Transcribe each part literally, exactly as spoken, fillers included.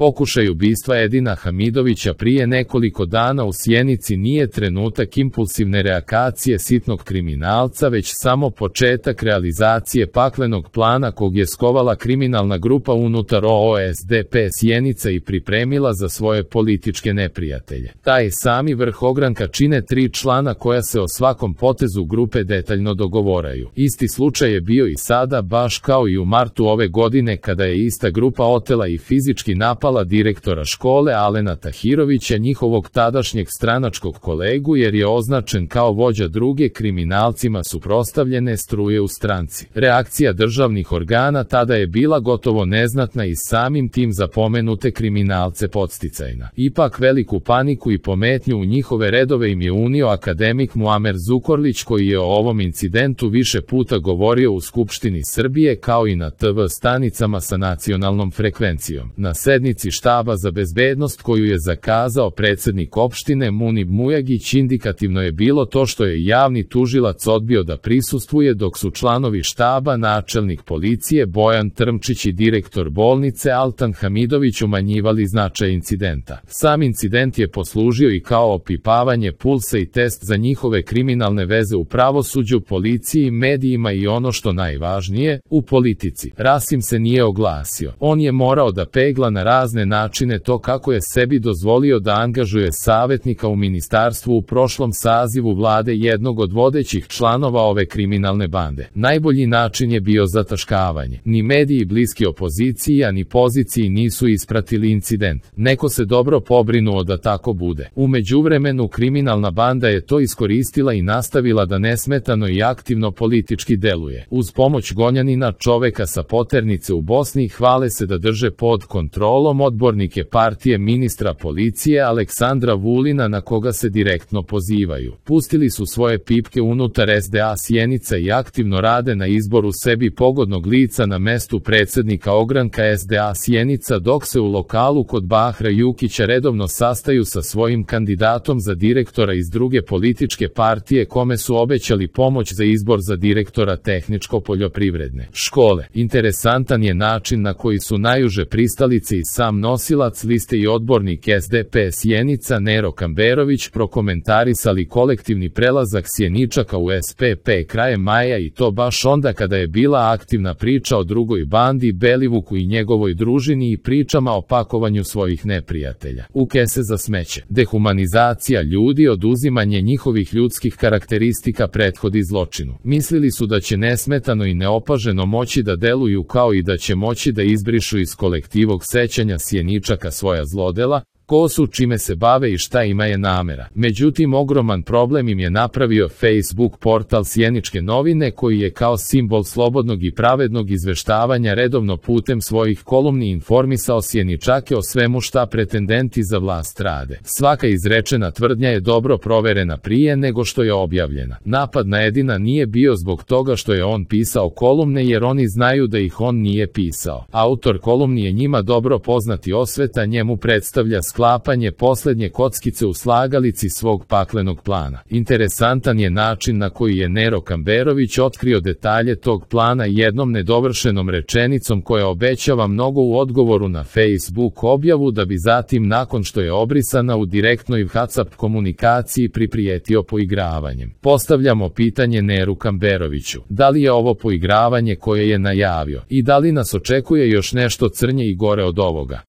Pokušaj ubistva Edina Hamidovića prije nekoliko dana u Sjenici nije trenutak impulsivne reakacije sitnog kriminalca, već samo početak realizacije paklenog plana kog je skovala kriminalna grupa unutar O S D P Sjenica i pripremila za svoje političke neprijatelje. Taj sami vrh ogranka čine tri člana koja se o svakom potezu grupe detaljno dogovoraju. Isti slučaj je bio i sada, baš kao i u martu ove godine kada je ista grupa otela i fizički napala direktora škole Alena Tahirovića, njihovog tadašnjeg stranačkog kolegu, jer je označen kao vođa druge kriminalcima suprotstavljene struje u stranci. Reakcija državnih organa tada je bila gotovo neznatna i samim tim za pomenute kriminalce podsticajna. Ipak veliku paniku i pometnju u njihove redove im je unio akademik Muamer Zukorlić, koji je o ovom incidentu više puta govorio u Skupštini Srbije kao i na T V stanicama sa nacionalnom frekvencijom. Na sednici štaba za bezbednost koju je zakazao predsednik opštine Munib Mujagić, indikativno je bilo to što je javni tužilac odbio da prisustvuje, dok su članovi štaba, načelnik policije Bojan Trmčić i direktor bolnice Altan Hamidović umanjivali značaj incidenta. Sam incident je poslužio i kao opipavanje pulsa i test za njihove kriminalne veze u pravosuđu, policiji, medijima i ono što najvažnije, u politici. Rasim se nije oglasio. On je morao da pegla na razne načine to kako je sebi dozvolio da angažuje savjetnika u ministarstvu u prošlom sazivu vlade jednog od vodećih članova ove kriminalne bande. Najbolji način je bio zataškavanje. Ni mediji bliski opoziciji, a ni poziciji nisu ispratili incident. Neko se dobro pobrinuo da tako bude. U međuvremenu kriminalna banda je to iskoristila i nastavila da nesmetano i aktivno politički deluje. Uz pomoć gonjanina, čoveka sa poternice u Bosni, hvale se da drže pod kontrolom odbornike partije ministra policije Aleksandra Vulina, na koga se direktno pozivaju. Pustili su svoje pipke unutar S D A Sjenica i aktivno rade na izboru sebi pogodnog lica na mestu predsednika ogranka S D A Sjenica, dok se u lokalu kod Bahra Jukića redovno sastaju sa svojim kandidatom za direktora iz druge političke partije, kome su obećali pomoć za izbor za direktora tehničko-poljoprivredne škole. Interesantan je način na koji su najuže pristalice i sam nosilac liste i odbornik S D P Sjenica Nero Kamberović prokomentarisali kolektivni prelazak Sjeničaka u S P P krajem maja, i to baš onda kada je bila aktivna priča o drugoj bandi Belivuku i njegovoj družini i pričama o pakovanju svojih neprijatelja u kese za smeće. Dehumanizacija ljudi, oduzimanje njihovih ljudskih karakteristika prethodi zločinu. Mislili su da će nesmetano i neopaženo moći da deluju, kao i da će moći da izbrišu iz kolektivog sećanja Sjeničaka svoja zlodela, ko su, čime se bave i šta ima je namera. Međutim, ogroman problem im je napravio Facebook portal Sjeničke novine, koji je kao simbol slobodnog i pravednog izveštavanja redovno putem svojih kolumni informisao Sjeničake o svemu šta pretendenti za vlast rade. Svaka izrečena tvrdnja je dobro proverena prije nego što je objavljena. Napad na Edina nije bio zbog toga što je on pisao kolumne, jer oni znaju da ih on nije pisao. Autor kolumni je njima dobro poznati Osveta, njemu predstavlja sklapanje poslednje kockice u slagalici svog paklenog plana. Interesantan je način na koji je Nero Kamberović otkrio detalje tog plana jednom nedovršenom rečenicom koja obećava mnogo u odgovoru na Facebook objavu, da bi zatim, nakon što je obrisana u direktnoj WhatsApp komunikaciji, priprijetio poigravanjem. Postavljamo pitanje Neru Kamberoviću: da li je ovo poigravanje koje je najavio i da li nas očekuje još nešto crnje i gore od ovoga?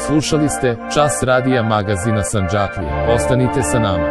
Slušali ste Čas radija magazina Sandžaklija. Ostanite sa nama.